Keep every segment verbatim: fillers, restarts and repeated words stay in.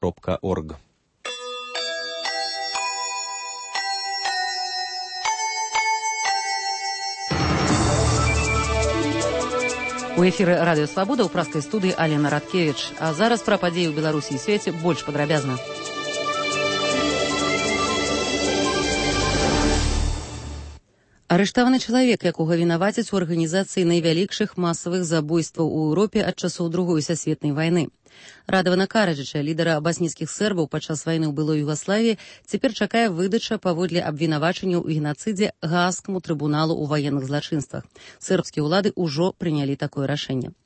кропка орг. У эфіры радыё Свабода ў праскай студыі Алена Радкевіч. А зараз пра падзеі ў Беларусі і свеце больш падрабязна. Арыштаваны чалавек, якога вінавацяць у арганізацыі найвялікшых масавых забойстваў у Еўропе ад часоў Другой сусветнай вайны. Радавана Караджыча, лідара басніцкіх сербаў падчас вайны ў былой Югаславіі, цяпер чакае выдача паводле абвінавачанняў у генацыдзе Гаагскаму трыбуналу ў ваенных злачынствах. Сербскія ўлады ўжо прынялі такое рашэнне.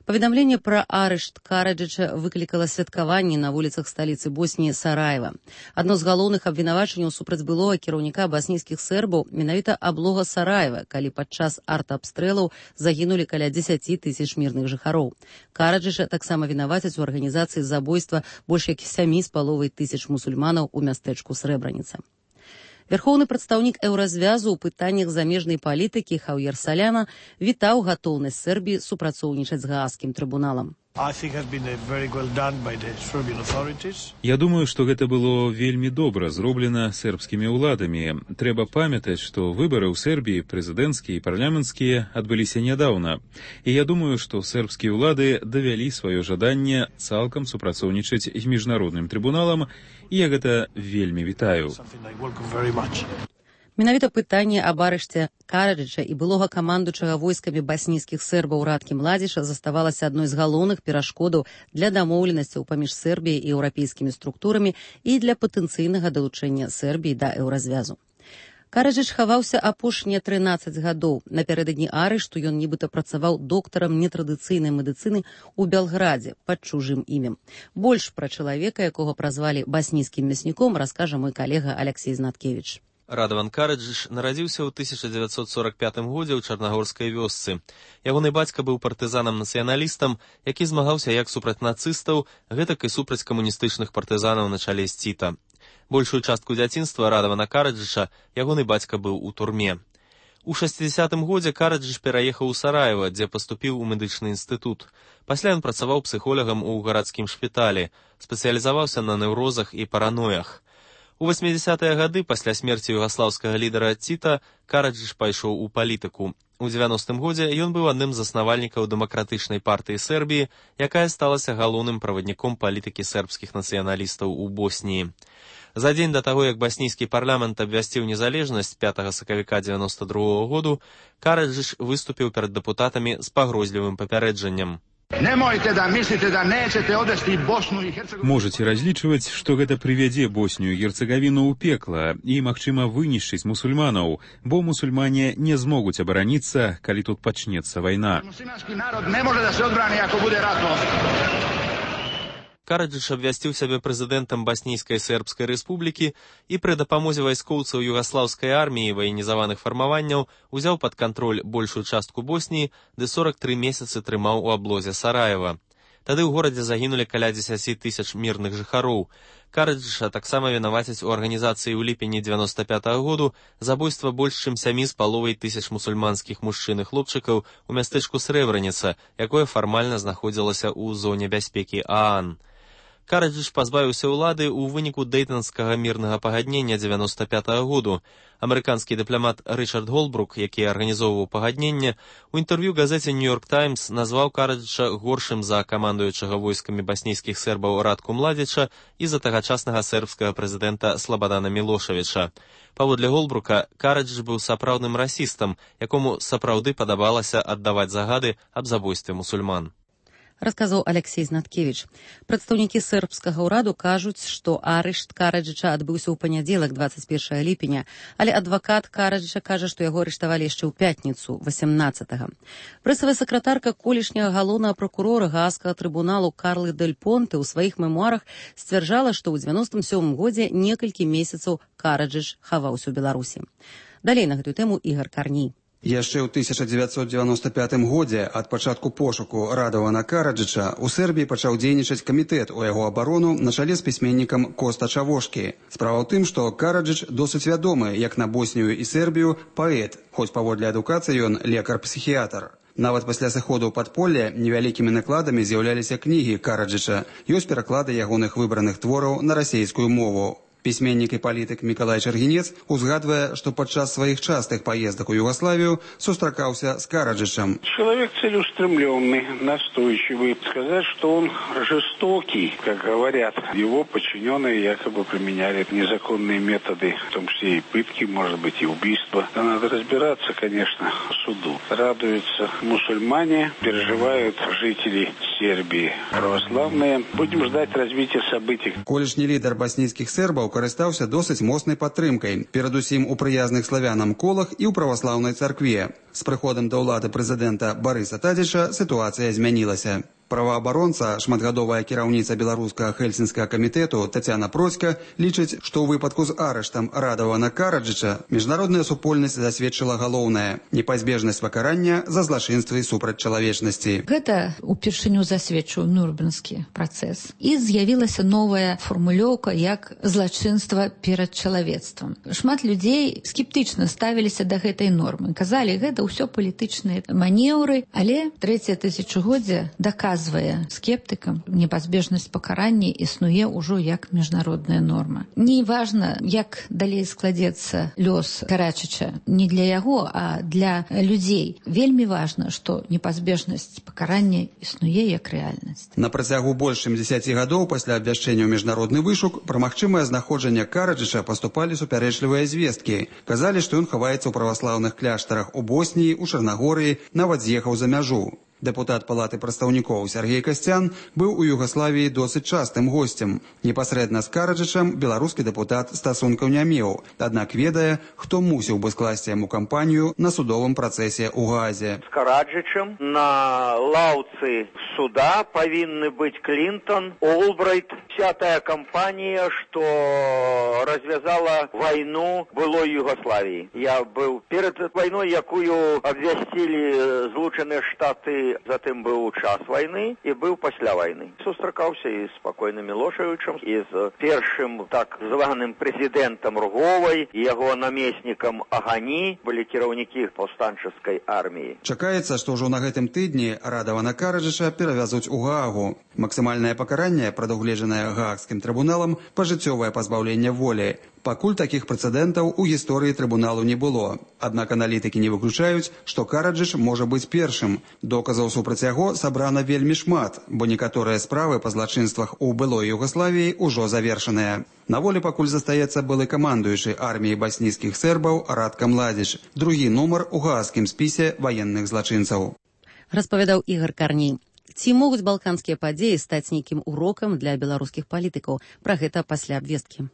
Паведамленне пра арышт Караджыча выклікала святкаванні на вуліцах сталіцы Босніі Сараева. Адно з галоўных абвінавачанняў супраць былога кіраўніка басніцкіх сербаў менавіта аблога Сараева, калі падчас артабстрэлаў загінулі каля дзесяці тысяч мірных жыхароў. Караджыча таксама вінавацяць у арганізацыі забойства больш як сямі з паловай тысяч мусульманаў у мястэчку Срэбраніца. Верхоўны прадстаўнік еўразвязу ў пытаннях замежнай палітыкі Хаўер Саляна вітаў гатоўнасць Сербіі супрацоўнічаць з Гаагскім трыбуналам. Я думаю, што гэта было вельмі добра зроблена сербскімі ўладамі. Трэба памятаць, што выбары ў Сербіі, прэзідэнцкія і парламенцкія, адбыліся нядаўна. І я думаю, што сербскія ўлады давялі сваё жаданне цалкам супрацоўнічаць з міжнародным трыбуналам, і я гэта вельмі вітаю. Менавіта пытанне аб арышце Караджыча і былога камандуючага войскамі басніцкіх сербаў Радкі Младзіша заставалася адной з галоўных перашкодаў для дамоўленасцяў паміж Сербіяй і еўрапейскімі структурамі і для патэнцыйнага далучэння Сербіі да еўразвязу. Караджыч хаваўся апошнія трынаццаць гадоў. Напярэдадні арышту ён нібыта працаваў доктарам нетрадыцыйнай медыцыны ў Белградзе пад чужым імем. Больш пра чалавека, якога празвалі басніцкім мясніком, раскажа мой калега Алексей Знаткевіч. Радаван Караджыч нарадзіўся ў тысяча дзевяцьсот сорак пятым годзе ў Чарнагорскай вёсцы. Ягоны бацька быў партызанам-нацыяналістам, які змагаўся як супраць нацыстаў, гэтак і супраць камуністычных партызанаў на чале з Ціта. Большую частку дзяцінства Радавана Караджыча ягоны бацька быў у турме. У шэсцідзясятым годзе Караджыч пераехаў у Сараева, дзе паступіў у медычны інстытут. Пасля ён працаваў псіхолагам у гарадскім шпіталі, спецыялізаваўся на неўрозах і параноях. У васьмідзясятыя гады, пасля смерці югаслаўскага лідара Ціта, Караджыч пайшоў у палітыку. У дзевяностым годзе ён быў адным з заснавальнікаў дэмакратычнай партыі Сербіі, якая сталася галоўным правадніком палітыкі сербскіх нацыяналістаў у Босніі. За дзень да таго, як баснійскі парламент абвясціў незалежнасць пятага сакавіка дзевяноста другога году, Караджыч выступіў перад дэпутатамі з пагрозлівым папярэджаннем. Можете разлічваць, што гэта прывядзе Боснію і Герцагавіну ў пекла і, магчыма, вынішчыць мусульманаў, бо мусульмане не змогуць абараніцца, калі тут пачнецца вайна. Караджыч абвясціў сябе прэзідэнтам Баснійскай сербскай рэспублікі і пры дапамозе вайскоўцаў югаслаўскай арміі і ваенізаваных фармаванняў узяў пад кантроль большую частку Босніі, ды сорак тры месяцы трымаў у аблозе Сараева. Тады ў горадзе загінулі каля дзесяці тысяч мірных жыхароў. Караджыча таксама вінавацяць у арганізацыі ў ліпені дзевяноста пятага году забойства больш чым сямі з паловай тысяч мусульманскіх мужчын і хлопчыкаў у мястэчку Срэбраніца, якое фармальна знаходзілася ў зоне бяспекі ААН. Караджыч пазбавіўся ўлады ў выніку дэйтанскага мірнага пагаднення дзевяноста пятага году. Амерыканскі дыпламат Рычард Голбрук, які арганізоўваў пагадненне, у інтэрв'ю газеце «Нью-Йорк Таймс» назваў Караджыча горшым за камандуючага войскамі баснійскіх сербаў Радку Младзіча і за тагачаснага сербскага прэзідэнта Слабадана Мілошавіча. Паводле Голбрука, Караджыч быў сапраўдным расістам, якому сапраўды падабалася аддаваць загады аб забойстве мусульман. Расказаў Алексей Знаткевіч. Прадстаўнікі сербскага ўраду кажуць, што арышт Караджыча адбыўся ў панядзелак дваццаць першага ліпеня, але адвакат Караджыча кажа, што яго арыштавалі яшчэ ў пятніцу, васямнаццатага. Прэсавая сакратарка колішняга галоўнага пракурора Гаагскага трыбуналу Карлы Дель Понте ў сваіх мемуарах сцвярджала, што ў дзевяностым сёмым годзе некалькі месяцаў Караджыч хаваўся ў Беларусі. Далей на гэтую тэму Ігар Карній. Яшчэ ў тысяча дзевяцьсот девяносто пятым годзе ад пачатку пошуку Радавана Караджыча ў Сербіі пачаў дзейнічаць камітэт у яго абарону на чале з пісьменнікам Коста Чавошкі. Справа ў тым, што Караджыч досыць вядомы як на Боснію і Сербію паэт, хоць паводле адукацыі ён лекар-псіхіятр. Нават пасля сыходу ў падполле невялікімі накладамі з'яўляліся кнігі Караджыча. Ёсць пераклады ягоных выбраных твораў на расейскую мову. Пісьменнік і палітык Мікалай Чаргінец узгадвае, што падчас сваіх частых паездак у Югославію сустракаўся с Караджычем. Человек целеустремленный, настойчивый. Сказать, что он жестокий, как говорят. Его подчиненные якобы применяли незаконные методы, в том числе и пытки, может быть, и убийства. Надо разбираться, конечно, в суду. Радуются мусульмане, переживают жители Сербии православные. Будем ждать развития событий. Колішні лідар баснійскіх сербаў карыстаўся досыць моцнай падтрымкай, перадусім у прыязных славянам колах і ў праваслаўнай царкве. З прыходам да ўлады прэзідэнта Барыса Тадзіча сітуацыя змянілася. Праваабаронца, шматгадовая кіраўніца беларускага хельсінскага камітэту Тацяна Процька лічыць, што ў выпадку з арыштам Радавана Караджыча міжнародная супольнасць засведчыла галоўнае – непазбежнасць пакарання за злачынствы супраць чалавечнасці. Гэта упершыню засведчыў Нюрнбергскі працэс. І з'явілася новая фармулёўка як злачынства перад чалавецтвам. Шмат людзей скептычна ставіліся да гэтай нормы. Казалі, гэта ўсё палітычныя манеўры, але трэцяе тысячагоддзе даказвае скептыкам, непазбежнасць пакарання існуе ўжо як міжнародная норма. Не важна, як далей складзецца лёс Караджыча, не для яго, а для людзей. Вельмі важна, што непазбежнасць пакарання існуе як рэальнасць. На працягу больш чым дзесяці гадоў пасля абвяшчэння ў міжнародны вышук пра магчымае знаходжанне Караджыча паступалі супярэчлівыя звесткі. Казалі, што ён хаваецца ў праваслаўных кляштарах у Босніі, у Чарнагорыі, нават з'ехаў за мяжу. Дэпутат Палаты прадстаўнікоў Сергей Касцян быў у Югаславіі досыць частым госцем. Непасрэдна з Караджычам беларускі дэпутат стасункаў не меў, аднак ведае, хто мусіў бы скласці яму кампанію на судовым працэсе ў Гаазе. З Караджычам на лаўцы суда павінны быць Клінтон, Олбрайт, вся тая кампанія, што развязала вайну былой Югаславіі. Я быў перад вайной, якую абвясцілі Злучаныя Штаты, затым быў час вайны і быў пасля вайны. Сустракаўся і з спакойным Мілошевічам, і з першым так званым прэзідэнтам Руговай, і яго намеснікам Агані, былі кіраўнікі паўстанчыцкай арміі. Чакаецца, што ўжо на гэтым тыдні Радавана Караджыча перавязуць у Гаагу. Максімальнае пакаранне, прадугледжанае Гаагскім трыбуналам, пажыццёвае пазбаўленне волі. Пакуль такіх прэцэдэнтаў у гісторыі трыбуналу не было. Аднак аналітыкі не выключаюць, што Караджыч можа быць першым. Доказаў супраць яго сабрана вельмі шмат, бо некаторыя справы па злачынствах у былой Югаславіі ўжо завершаныя. На волі пакуль застаецца былы камандуючы арміі баснійскіх сербаў Радка Младзіч, другі нумар у гаагскім спісе ваенных злачынцаў. Распавядаў Ігор Карней. Ці могуць балканскія падзеі стаць нейкім урокам для беларускіх палітыкаў? Пра гэта пасля абвесткі.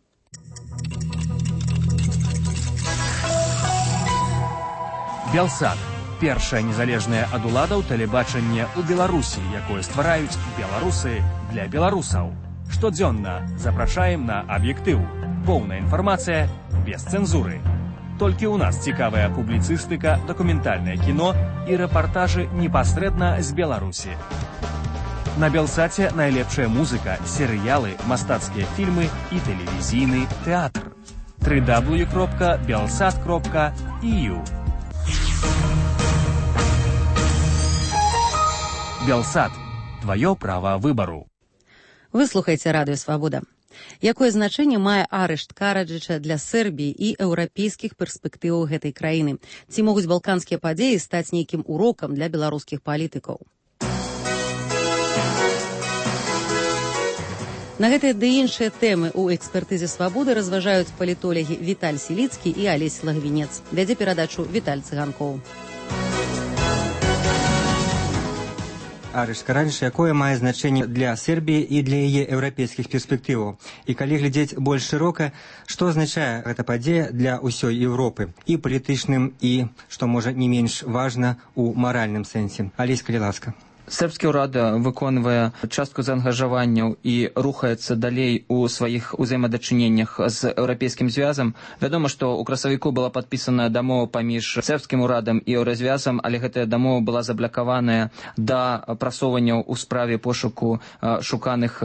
Белсат – першае незалежнае ад уладаў тэлебачанне ў Беларусі, якое ствараюць беларусы для беларусаў. Штодзённа запрашаем на аб'ектыў. Поўная інфармацыя без цэнзуры. Толькі ў нас цікавая публіцыстыка, дакументальнае кіно і рэпартажы непасрэдна з Беларусі. На Белсаце найлепшая музыка, серыялы, мастацкія фільмы і тэлевізійны тэатр. дабл ю дабл ю дабл ю кропка белсат кропка і ю. Белсат. Твоё право выбору. Вы слухаеце Радыё Свабода. Якое значэнне мае арышт Караджыча для Сербіі і еўрапейскіх перспектываў гэтай краіны? Ці могуць балканскія падзеі стаць нейкім урокам для беларускіх палітыкаў? На гэтыя ды іншыя тэмы ў экспертызе Свабоды разважаюць палітолагі Віталь Селіцкі і Алесь Лагвінец. Вядзе перадачу Віталь Цыганкоў. Арышт Караджыча, якое мае значэнне для Сербіі і для яе еўрапейскіх перспектываў. І калі глядзець больш шырока, што азначае гэта падзея для ўсёй Еўропы, і палітычным, і, што можа не менш важна, у маральным сэнсе. Алесь, калі ласка. Сербскі ўрад выконвае частку заангажаванняў і рухаецца далей у сваіх узаемадачыненнях з еўрапейскім звязам. Вядома, што ў красавіку была падпісана дамова паміж сербскім урадам і еўразвязам, але гэтая дамова была заблакаваная да прасоўванняў у справе пошуку шуканых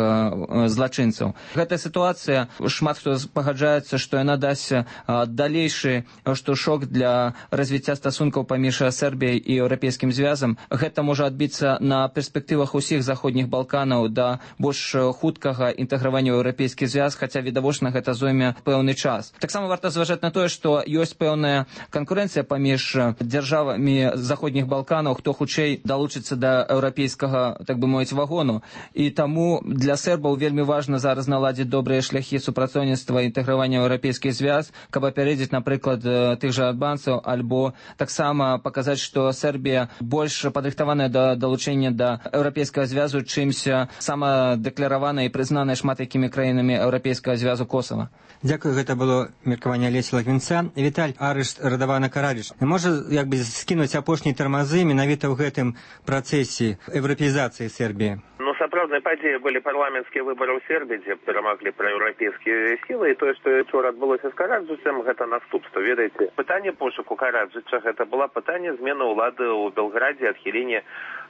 злачынцаў. Гэтая сітуацыя, шмат хто пагаджаецца, што яна дасць далейшы штуршок для развіцця стасункаў паміж Сербіяй і еўрапейскім звязам. Гэта можа адбіцца на на перспектывах усіх заходніх Балканаў да больш хуткага інтэгравання ў еўрапейскі звяз, хаця відавочна гэта зойме пэўны час. Таксама варта зважаць на тое, што ёсць пэўная канкурэнцыя паміж дзяржавамі заходніх Балканаў, хто хутчэй далучыцца да еўрапейскага, так бы мовіць, вагону. І таму для сербаў вельмі важна зараз наладзіць добрыя шляхі супрацоўніцтва і інтэгравання ў еўрапейскі звяз, каб апярэдзіць, напрыклад, тых жа албанцаў, альбо таксама паказаць, што Сербія больш падрыхтаваная да далучэння да еўрапейскага звязу, чымся самадэкларавана і прызнаная шмат якімі краінамі еўрапейскага звязу Косава. Дзякую, гэта было меркаванне Алеся Лагвінца. Віталь, арышт Радавана Караджыча можа як бы скінуць апошнія тармазы менавіта ў гэтым працэсе еўрапеізацыі Сербіі? Ну, сапраўднай падзеяй былі парламенцкія выбары ў Сербіі, дзе перамаглі праеўрапейскія сілы, і тое, што учора адбылося з Караджычам, гэта наступства. Ведаеце, пытанне пошуку Караджыча гэта была пытанне змены ўлады ў Белграде, адхілення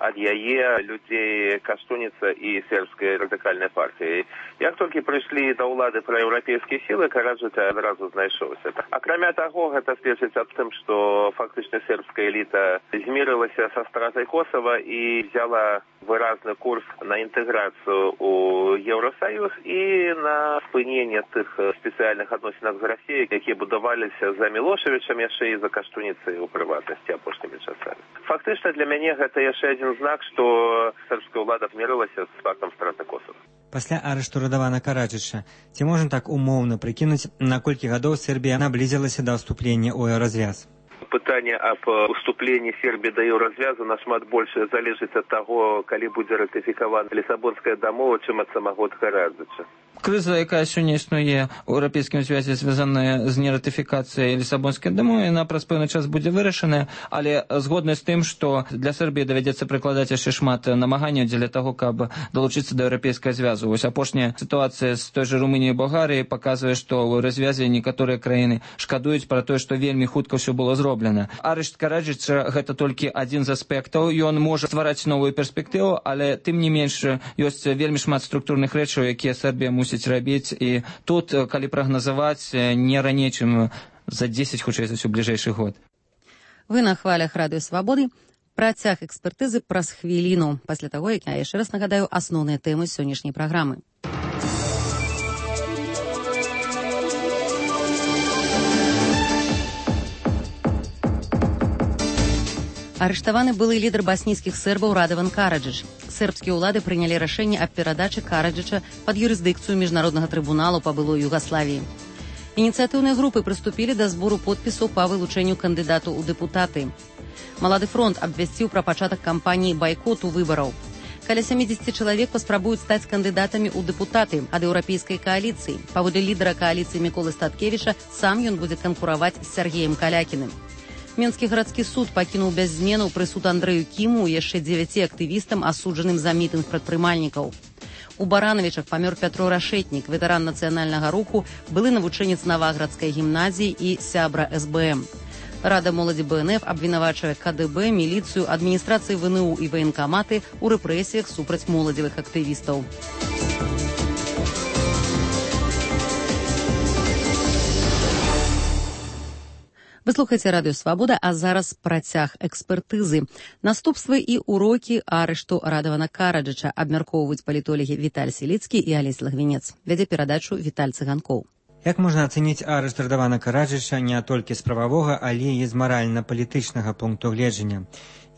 ад яе людзей Каштуніца і сербскай радыкальнай партыі. Як толькі прыйшлі да ўлады праеўрапейскія сілы, Караджыч адразу знайшоўся. Акрамя таго, гэта сведчыць аб тым, што фактычна сербская эліта змірылася са стратай Косава і взяла выразны курс на інтэграцыю ў Еўрасаюз і на спыненне тых спецыяльных адносінах з Расіяй, якія будаваліся за Мілошевічам яшчэ і за Каштуніцай у прыватнасці апошнімі часамі. Фактычна для мяне гэта яшчэ адзін знак, што сербская ўлада змірылася з фактам страты Косава. Пасля арышту Радавана Караджыча, ці можна так умоўна прыкінуць, на колькі гадоў Сербія наблізілася да ўступлення ў еўразвяз? Пытанне аб уступленні Сербіі да еўразвязу нашмат больш залежыць ад таго, калі будзе ратыфікавана Лісабонская дамова, чым ад самого Караджыча. Крыза, якая сёння існуе ў еўрапейскім звязе, звязаная з нератыфікацыяй Лісабонскай дамовы, яна праз пэўны час будзе вырашаная, але згодна з тым, што для Сербіі давядзецца прыкладаць яшчэ шмат намаганняў дзеля таго, каб далучыцца да еўрапейскага звязу. Вось апошняя сітуацыя з той жа Румыніяй і Балгарыяй паказвае, што ў развязе некаторыя краіны шкадуюць пра тое, што вельмі хутка ўсё было зроблена. Арышт Караджыча гэта толькі адзін з аспектаў, ён можа ствараць новую перспектыву, але тым не менш ёсць вельмі шмат структурных рэчаў, якія Сербія мусіць рабіць, і тут, калі прагназаваць, не раней, чым за дзесяць, хутчэй за ўсё, бліжэйшы год. Вы на хвалях Радыё Свабоды. Працяг экспертызы праз хвіліну, пасля таго, як я яшчэ раз нагадаю асноўныя тэмы сённяшняй праграмы. Арыштаваны былы лідар баснійскіх сербаў Радаван Караджыч. Сербскія ўлады прынялі рашэнне аб перадачы Караджыча пад юрысдыкцыю міжнароднага трыбуналу па былой Югаславіі. Ініцыятыўныя групы прыступілі да збору подпісаў па вылучэнню кандыдату ў дэпутаты. Малады фронт абвясціў пра пачатак кампаніі байкоту выбараў. Каля сямідзесят чалавек паспрабуюць стаць кандыдатамі ў дэпутаты ад еўрапейскай кааліцыі. Паводле лідара кааліцыі Міколы Статкевіча, сам ён будзе канкураваць з Сергеем Калякіным. Мінскі гарадскі суд пакінуў без зменаў прысуд Андрэю Кіму і яшчэ дзевяці актывістам, асуджаным за мітынг прадпрымальнікаў. У Баранавічах памёр Пятро Рашэтнік, ветэран нацыянальнага руху, былы навучэнец Наваградскай гімназіі і сябра эс бэ эм. Рада моладзі бэ эн эф абвінавачвае ка дэ бэ, міліцыю, адміністрацыі вэ эн у і ваенкаматы ў рэпрэсіях супраць моладзевых актывістаў. Вы слухаеце Радыё Свабода, а зараз працяг экспертызы. Наступствы і урокі арышту Радавана Караджыча абмяркоўваюць палітолагі Віталь Селіцкі і Алесь Лагвінец. Вядзе перадачу Віталь Цыганкоў. Як можна ацэніць арышт Радавана Караджыча не толькі з прававога, але і з маральна-палітычнага пункту гледжання?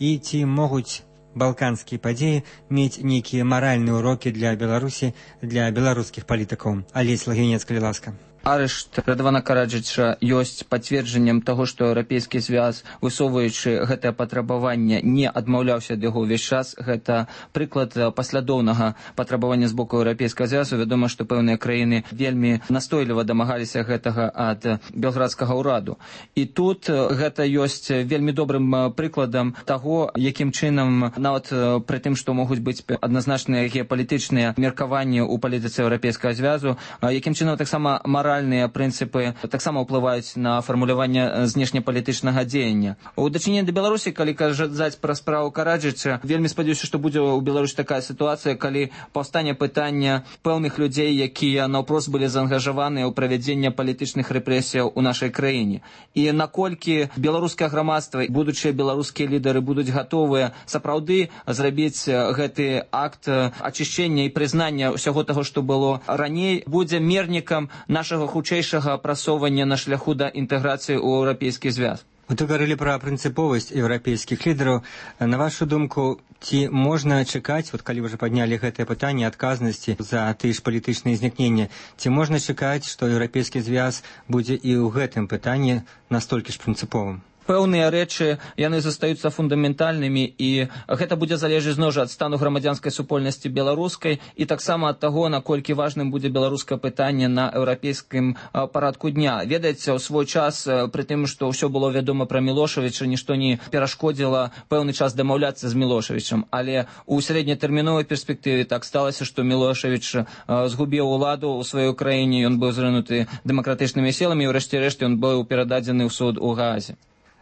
І ці могуць балканскія падзеі мець нейкія маральныя урокі для Беларусі, для беларускіх палітыкаў? Алесь Лагвінец, калі ласка. Арышт Радавана Караджыча ёсць пацверджаннем таго, што еўрапейскі звяз, высоўваючы гэтае патрабаванне, не адмаўляўся ад яго ўвесь час. Гэта прыклад паслядоўнага патрабавання з боку еўрапейскага звязу. Вядома, што пэўныя краіны вельмі настойліва дамагаліся гэтага ад белградскага ўраду. І тут гэта ёсць вельмі добрым прыкладам таго, якім чынам, нават пры тым, што могуць быць адназначныя геапалітычныя меркаванні ў палітыцы еўрапейскага звязу, якім чынам таксама мара моральныя прынцыпы таксама ўплываюць на фармуляванне знешнепалітычнага дзеяння. У дачыненні да Беларусі, калі казаць пра справу Караджыча, вельмі спадзяюся, што будзе ў Беларусі такая сітуацыя, калі паўстане пытання пэўных людзей, якія наўпрост былі заангажаваныя ў правядзенне палітычных рэпрэсіяў у нашай краіне. І наколькі беларускае грамадства, будучыя беларускія лідары будуць гатовыя сапраўды зрабіць гэты акт ачышчэння і прызнання ўсяго таго, што было раней, будзе мернікам нашага хутчэйшага прасоўвання на шляху да інтэграцыі ў еўрапейскі звяз. Вы говорили про прынцыповасць еўрапейскіх лідараў. На вашу думку, ці можна чакаць, вот калі вы ўжо паднялі гэтае пытанне адказнасці за тыя ж палітычныя знікнення, ці можна чакаць, што еўрапейскі звяз будзе і ў гэтым пытанні настолькі ж прынцыповым? Пэўныя рэчы, яны застаюцца фундаментальнымі, і гэта будзе залежаць зноў жа ад стану грамадзянскай супольнасці беларускай і таксама ад таго, наколькі важным будзе беларускае пытанне на еўрапейскім парадку дня. Ведаеце, у свой час, пры тым, што ўсё было вядома пра Мілошавіча, нішто не перашкодзіла пэўны час дамаўляцца з Мілошавічам, але ў сярэднетэрміновай перспектыве так сталася, што Мілошавіч згубіў уладу ў сваёй краіне, ён быў зрынуты дэмакратычнымі сіламі, і ўрэшце рэшт ён быў перададзены ў суд у Гаазе.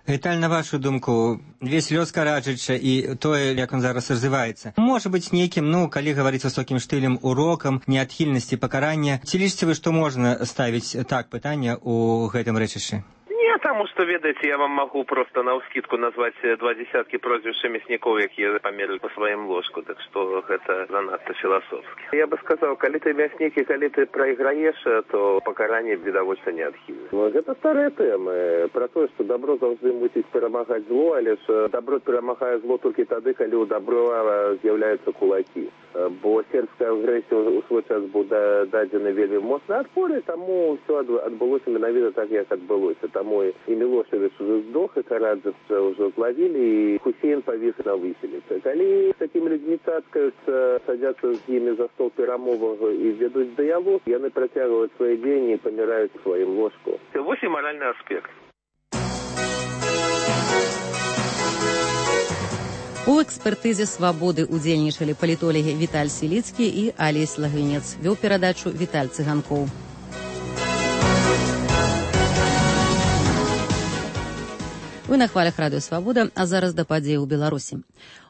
Віталь, на вашу думку, весь лёс Караджыча і тое, як он зараз развіваецца, можа быць нейкім, ну, калі гаварыць высокім штылем, урокам неадхільнасці пакарання. Ці лічыце вы, што можна ставіць так пытанне ў гэтым рэчышчы? Не, таму што, ведаеце, я вам магу проста наўскідку назваць два дзесяткі прозвішча мяснікоў, якія памерлі па сваім ложку, так што гэта занадта філасофскі. Я бы сказаў, калі ты мяснік і калі ты прайграеш, то пакаранне відавочна неадхільна. Гэта старыя тэмы пра тое, што дабро заўжды мусіць перамагаць зло, але ж дабро перамагае зло толькі тады, калі ў дабро з'яўляюцца кулакі. Бо сербская агрэсія ў свой час быў дадзены вельмі моцны адпор, і таму ўсё адбылося менавіта так, як адбылося. Таму і Мілошавіч уже здох, і Караджыча ўжо злавілі, і Хусейн павіс на выселіцы. Калі з такімі людзьмі цацкаюцца, садзяцца з імі за стол перамоваў і вядуць дыялог, яны працягваюць свае дзеянні і паміраюць у сваім ложку. Вось і маральны аспект. У экспертызе «Свабоды» удзельнічалі палітолагі Віталь Сіліцкі і Алесь Лагвінец. Вёў перадачу Віталь Цыганкоў. Вы на хвалях радыё «Свабода», а зараз да падзей у Беларусі.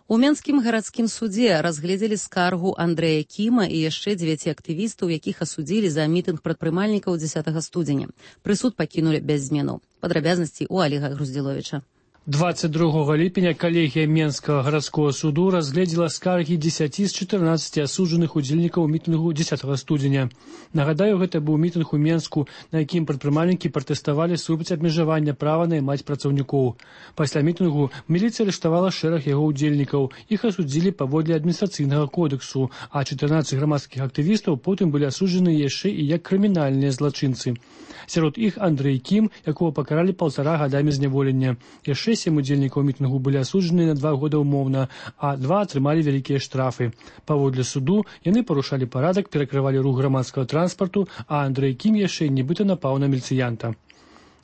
У Менскім гарадскім судзе разгледзелі скаргу Андрэя Кіма і яшчэ дзевяці актывістаў, якіх асудзілі за мітынг прадпрымальнікаў дзесятага студзеня. Прысуд пакінулі без зменаў. Падрабязнасці ў Аліга Груздзіловіча. двадцать другого ліпеня калегія Менскага гарадскога суду разгледзела скаргі дзесяці з чатырнаццаці асуджаных удзельнікаў мітынгу дзесятага студзеня. Нагадаю, гэта быў мітынг у Менску, на якім прадпрымальнікі пратэставалі супраць абмежавання права наймаць працаўнікоў. Пасля мітынгу міліцыя арыштавала шэраг яго удзельнікаў. Іх асудзілі паводле адміністрацыйнага кодексу, а чатырнаццаць грамадскіх актывістаў потым былі асуджаны яшчэ і як крымінальныя злачынцы. Сярод іх Андрэй Кім, якого пакаралі паўтара гадамі зняволення. Яшчэ сем удзельнікаў мітынгу былі асуджаны на два года ўмоўна, а два атрымалі вялікія штрафы. Паводле суду яны парушалі парадак, перакрывалі рух грамадскага транспарту, а Андрэй Кім яшчэ нібыта напаў на міліцыянта.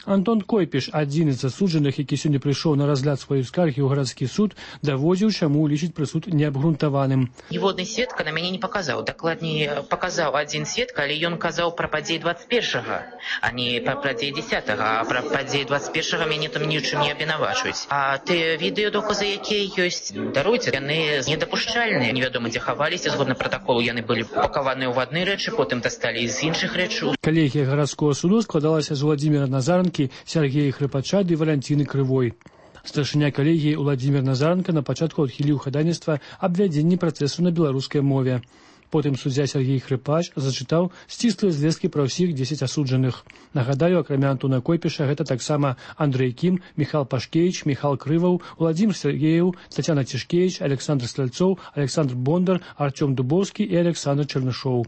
Антон Койпіш, адзін з асуджаных, які сёння прыйшоў на разгляд сваёй скаргі ў гарадскі суд, даводзіў, чаму лічыць прысуд неабгрунтаваным. Ніводны сведка на мяне не паказаў. Дакладней, паказаў адзін сведка, але ён казаў пра падзеі двадцать першага, а не пра падзеі дзесятага, а пра падзеі двадцать першага мяне там нічым не абвінавачваюць. А тыя відэадоказы, якія ёсць, даруйце, яны недапушчальныя. Невядома, дзе хаваліся, згодна пратаколу, яны былі пакаваныя ў адны рэчы, потым дасталі з іншых рэчаў. Калегія гарадскога суду складалася з Владзіміра Назаранкі, Сергея Хрыпача ды Валянціны Крывой. Старшыня калегіі Владзімір Назаранка на пачатку адхіліў хадайніцтва аб вядзенні працэсу на беларускай мове. Потым суддзя Сергей Хрыпач зачытаў сціслыя звесткі пра ўсіх дзесяць асуджаных. Нагадаю, акрамя Антона Койпіша, гэта таксама Андрэй Кім, Міхал Пашкевіч, Міхал Крываў, Владзімір Сергеев, Тацяна Цішкевіч, Александр Стральцоў, Александр Бондар, Артём Дубоўскі і Александр Чарнышоў.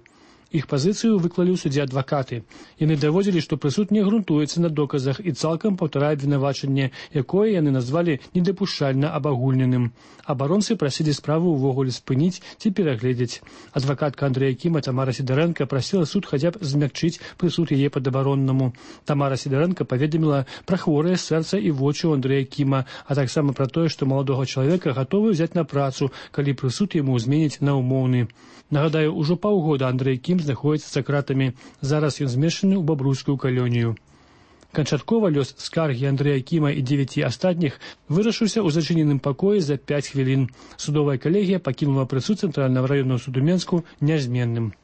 Іх пазіцыю выклалі ў судзе адвакаты. Яны даводзілі, што прысуд не грунтуецца на доказах і цалкам паўтарае абвінавачанне, якое яны назвалі недапушчальна абагульненым. Абаронцы прасілі справу ўвогуле спыніць ці перагледзець. Адвакатка Андрэя Кіма Тамара Сідарэнка прасіла суд хаця б змякчыць прысуд яе падабароннаму. Тамара Сідарэнка паведаміла пра хворае сэрца і вочы ў Андрэя Кіма, а таксама пра тое, што маладога чалавека гатовы ўзяць на працу, калі прысуд яму зменіць на ўмоўны. Нагадаю, ужо паўгода Андрэй Кім знаходзіцца за кратамі. Зараз ён змешчаны ў бабруйскую калонію. Канчаткова лёс скаргі Андрэя Кіма і дзевяці астатніх вырашыўся ў зачыненым пакоі за пяць хвілін. Судовая калегія пакінула прысуд Цэнтральнага раённага суду Менску нязменным.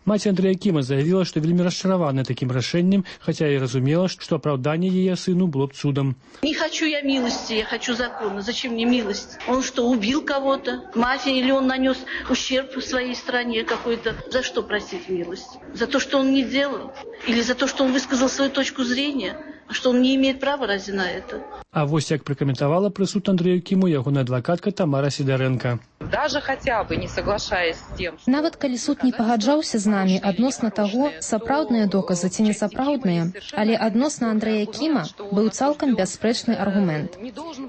Маці Андрэя Кіма заявіла, што вельмі расчаравана такім рашэннем, хаця і разумела, што апраўданне яе сыну было б цудам. Не хочу я милости, я хочу закона. Зачем мне милость? Он что, убил кого-то? Мафия? Или он нанес ущерб в своей стране какой-то? За что просить милость? За то, что он не делал? Или за то, что он высказал свою точку зрения? Что он не имеет права разве на это? А вось як пракаментавала прысуд Андрэю Кіму ягоная адвакатка Тамара Сідарэнка. Даже хотя бы не соглашаясь с тем, что... Нават калі суд не пагаджаўся з намі адносна таго, сапраўдныя доказы ці несапраўдныя, але адносна Андрэя Кіма быў цалкам бясспрэчны аргумент.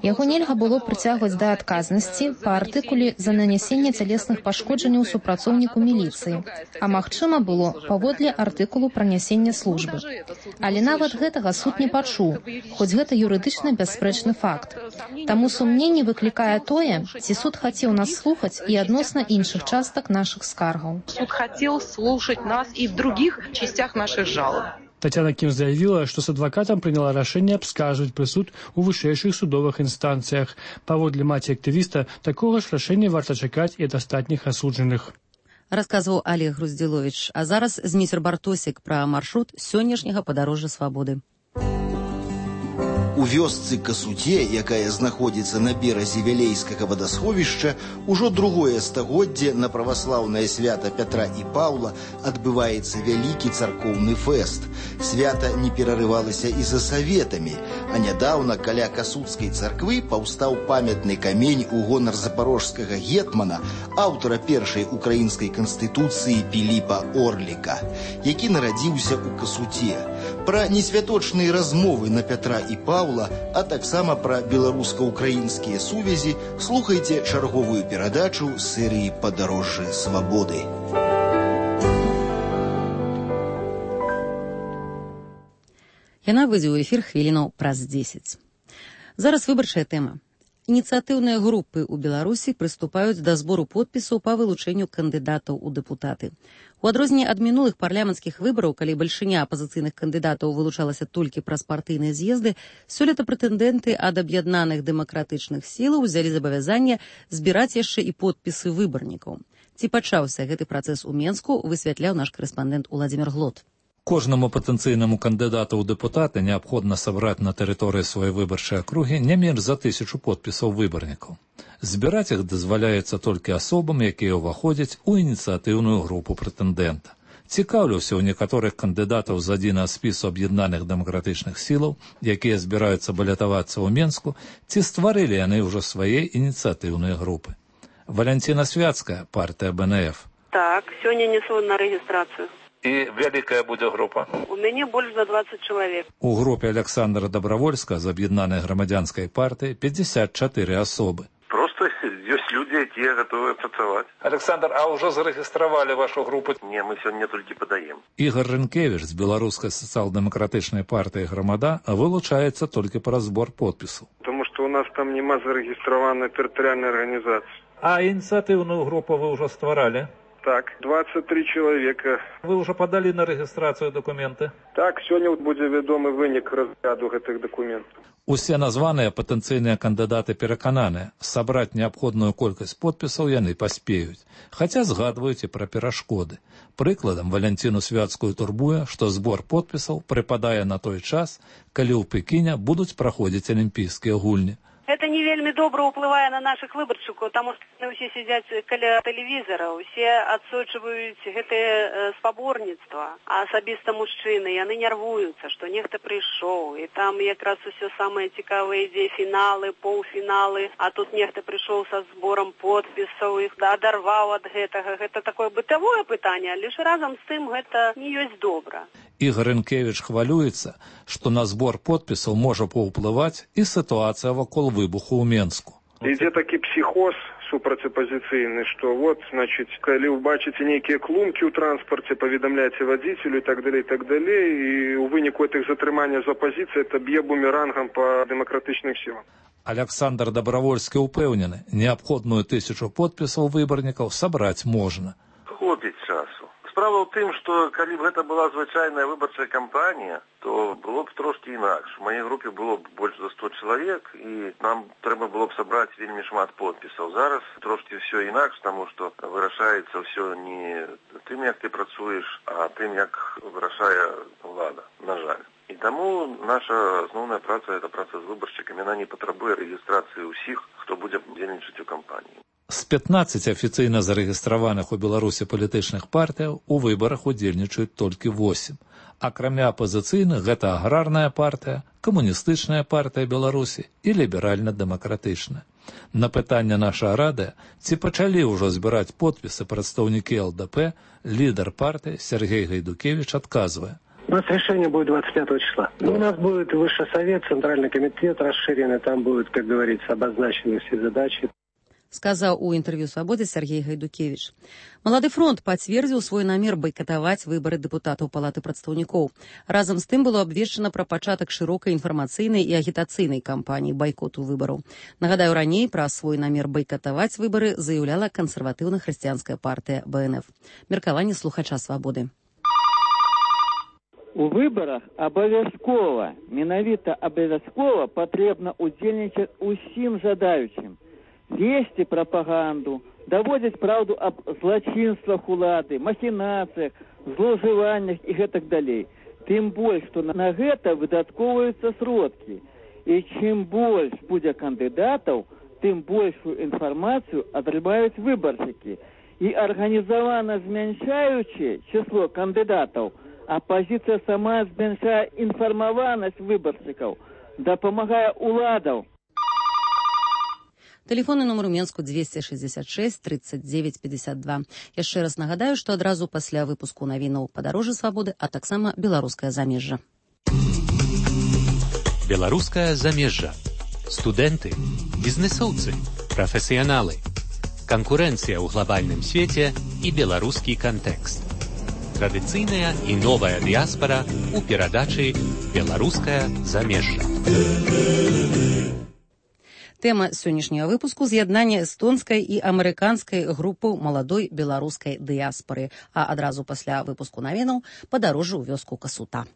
Яго нельга было прыцягваць да адказнасці па артыкуле за нанясенне цялесных пашкоджанняў супрацоўніку міліцыі, а магчыма было паводле артыкулу пра нясенне службы. Але нават гэтага суд не пачуў, хоць гэта юрыдычна бясспрэчны факт. Таму сумненне выклікае тое, ці суд хацеў нас слухаць і адносна іншых частак нашых скаргаў. Суд хотел слушать нас и в других частях наших жалоб. Татьяна Кім заявіла, што з адвакатам прыняла рашэнне абскаржваць прысуд у вышэйшых судовых інстанцыях. Паводле маці актывіста, такога ж рашэння варта чакаць і ад астатніх асуджаных. Расказваў Олег Груздзіловіч. А зараз Зміцер Бартосік пра маршрут сённяшняга падарожжа свабоды. У вёсцы Касуце, якая знаходзіцца на беразе Вялейскага вадасховішча, ужо другое стагоддзе на праваслаўнае свята Пятра і Паўла адбываецца вялікі царкоўны фэст. Свята не перарывалася і за саветамі, а нядаўна каля Касуцкай царквы паўстаў памятны камень у гонар запарожскага гетмана, аўтара першай украінскай канстытуцыі Піліпа Орліка, які нарадзіўся ў Касуце. Пра несвяточныя размовы на Пятра і Паўла, а таксама пра беларуска-украінскія сувязі слухайце чарговую перадачу з серыі «Падарожжы свабоды». Яна выйдзе ў эфір хвілінаў праз дзесяць. Зараз выбарчая тэма. Ініцыятыўныя групы ў Беларусі прыступаюць да збору подпісаў па вылучэнню кандыдатаў у дэпутаты. У адрозненне ад мінулых парламенцкіх выбараў, калі бальшыня апазіцыйных кандыдатаў вылучалася толькі праз партыйныя з'езды, сёлета прэтэндэнты ад аб'яднаных дэмакратычных сілаў узялі забавязанне збіраць яшчэ і подпісы выбарнікаў. Ці пачаўся гэты працэс у Менску, высвятляў наш карэспандэнт Уладзімір Глот. Кожнаму патэнцыйнаму кандыдату ў дэпутаты неабходна сабраць на тэрыторыі сваёй выбарчай акругі не менш за тысячу подпісаў выбарнікаў. Збіраць іх дазваляецца толькі асобам, якія ўваходзяць у ініцыятыўную групу прэтэндэнта. Цікаўлюся ў некаторых кандыдатаў з адзінага спісу аб'яднаных дэмакратычных сілаў, якія збіраюцца балятавацца ў Менску, ці стварылі яны ўжо свае ініцыятыўныя групы. Валянціна Свяцкая, партыя Бэ Эн Эф. Так, сёння несу на рэгістрацыю. І вялікая будзе група? У мяне больш за дваццаць чалавек. У групе Александра Добравольска з аб'яднанай грамадзянскай партыі пятьдесят чатыры асобы. Просто ёсць людзі, якія гатовыя працаваць. Александр, а ўжо зарэгістравалі вашу групу? Не, мы сёння толькі падаем. Ігор Рынкевіч з беларускай сацыял-дэмакратычнай партыі «Грамада» вылучаецца толькі праз збор подпісаў. Тому што у нас там няма зарэгістраванай тэрытарыяльнай арганізацыі. А ініцыятыўную групу вы ўжо стваралі? Так, двадцать три человека. Вы уже подали на регистрацию документы? Так, сёння будзе вядомы вынік разгляду гэтых дакументаў. Усе названыя патэнцыйныя кандыдаты перакананыя, сабраць неабходную колькасць подпісаў яны паспеюць, хаця згадваюць і пра перашкоды. Прыкладам, Валянціну Свяцкую турбуе, што збор подпісаў прыпадае на той час, калі ў Пекіне будуць праходзіць алімпійскія гульні. Это не вельмі добра ўплывае на наших выбаршчыкаў, таму што ўсе сядзяць каля тэлевізара, усе адсочваюць гэтае спаборніцтва, а асабіста мужчыны, яны нервуюцца, што нехта прыйшоў, і там якраз усё самае цікавае ідзе фіналы, паўфіналы, а тут нехта прыйшоў са зборам подпісаў, іх адарваў ад гэтага. Гэта такое бытавое пытанне, але ж разам з тым гэта не ёсць добра. Ігор Інкевіч хвалюецца, што на збор подпісаў можа паўплываць і сітуацыя вакол выбуху ў Менску. Ідзе такі псіхоз супрацьапазіцыйны, што вот, значыць, калі вы бачыце нейкія клумкі ў транспарце, паведамляйце вадзіцелю і так далей, так далей, і ў выніку гэтых затрымання з апазіцыі это б'е бумерангам па дэмакратычных сілах. Александр Добровольскі ўпэўнены, неабходную тысячу подпісаў выбарнікаў сабраць можна. Хопіць часу. Справа ў тым, што калі б гэта была звычайная выбарчая кампанія, то было б трошкі інакш. У маёй групе было б больш за сто чалавек, і нам трэба было б сабраць вельмі шмат подпісаў. Зараз трошкі ўсё інакш, таму што вырашаецца ўсё не тым, як ты працуеш, а тым, як вырашае ўлада, на жаль. І таму наша асноўная праца, гэта праца з выбаршчыкамі, яна не патрабуе рэгістрацыі ўсіх, хто будзе удзельнічаць у кампаніі. З пятнаццаці афіцыйна зарэгістраваных у Беларусі палітычных партыяў у выбарах удзельнічаюць толькі восем. Акрамя апазіцыйных, гэта аграрная партыя, камуністычная партыя Беларусі і ліберальна-дэмакратычная. На пытанне наша радыё, ці пачалі ўжо збіраць подпісы прадстаўнікі эл дэ пэ, лідар партыі Сергей Гайдукевич адказвае. У нас решение будет двадцать пятого числа. Ну, у нас будет высший совет, центральный комитет расширенный, там будут, как говорится, обозначены все задачи. Сказаў у інтэрв'ю «Свабодзе» Сергей Гайдукевич. Малады фронт пацвердзіў свой намер байкатаваць выбары дэпутатаў Палаты прадстаўнікоў. Разам з тым было абвешчана пра пачатак шырокай інфармацыйнай і агітацыйнай кампаніі байкоту выбараў. Нагадаю, раней пра свой намер байкатаваць выбары заяўляла кансерватыўна-хрысціянская партыя бэ эн эф. Меркаванне слухача «Свабоды». У выбарах абавязкова, менавіта абавязкова патрэбна удзельнічаць усім жадаючым. Весці прапаганду, даводзіць праўду аб злачынствах улады, махінацыях, злоўжываннях і гэтак далей. Тым больш, што на гэта выдаткоўваюцца сродкі. І чым больш будзе кандыдатаў, тым большую інфармацыю атрымаюць выбаршчыкі. І арганізавана змяншаючы число кандыдатаў, апазіцыя сама змяншае інфармаванасць выбаршчыкаў, дапамагае уладаў. Тэлефонны нумар у Менску двести шестьдесят шесть тридцать девять пятьдесят два. Яшчэ раз нагадаю, што адразу пасля выпуску навінаў «Падарожжа свабоды», а таксама «Беларускае замежжа». Беларускае замежжа. Студэнты, бізнесоўцы, прафесіяналы. Канкурэнцыя ў глобальным свеце і беларускі кантэкст. Традыцыйная і новая дыяспара ў перадачы «Беларускае замежжа». Тэма сённяшняга выпуску – з'яднанне эстонскай і амерыканскай групаў маладой беларускай дыяспары. А адразу пасля выпуску навінаў «Падарожжа ў вёску Касута».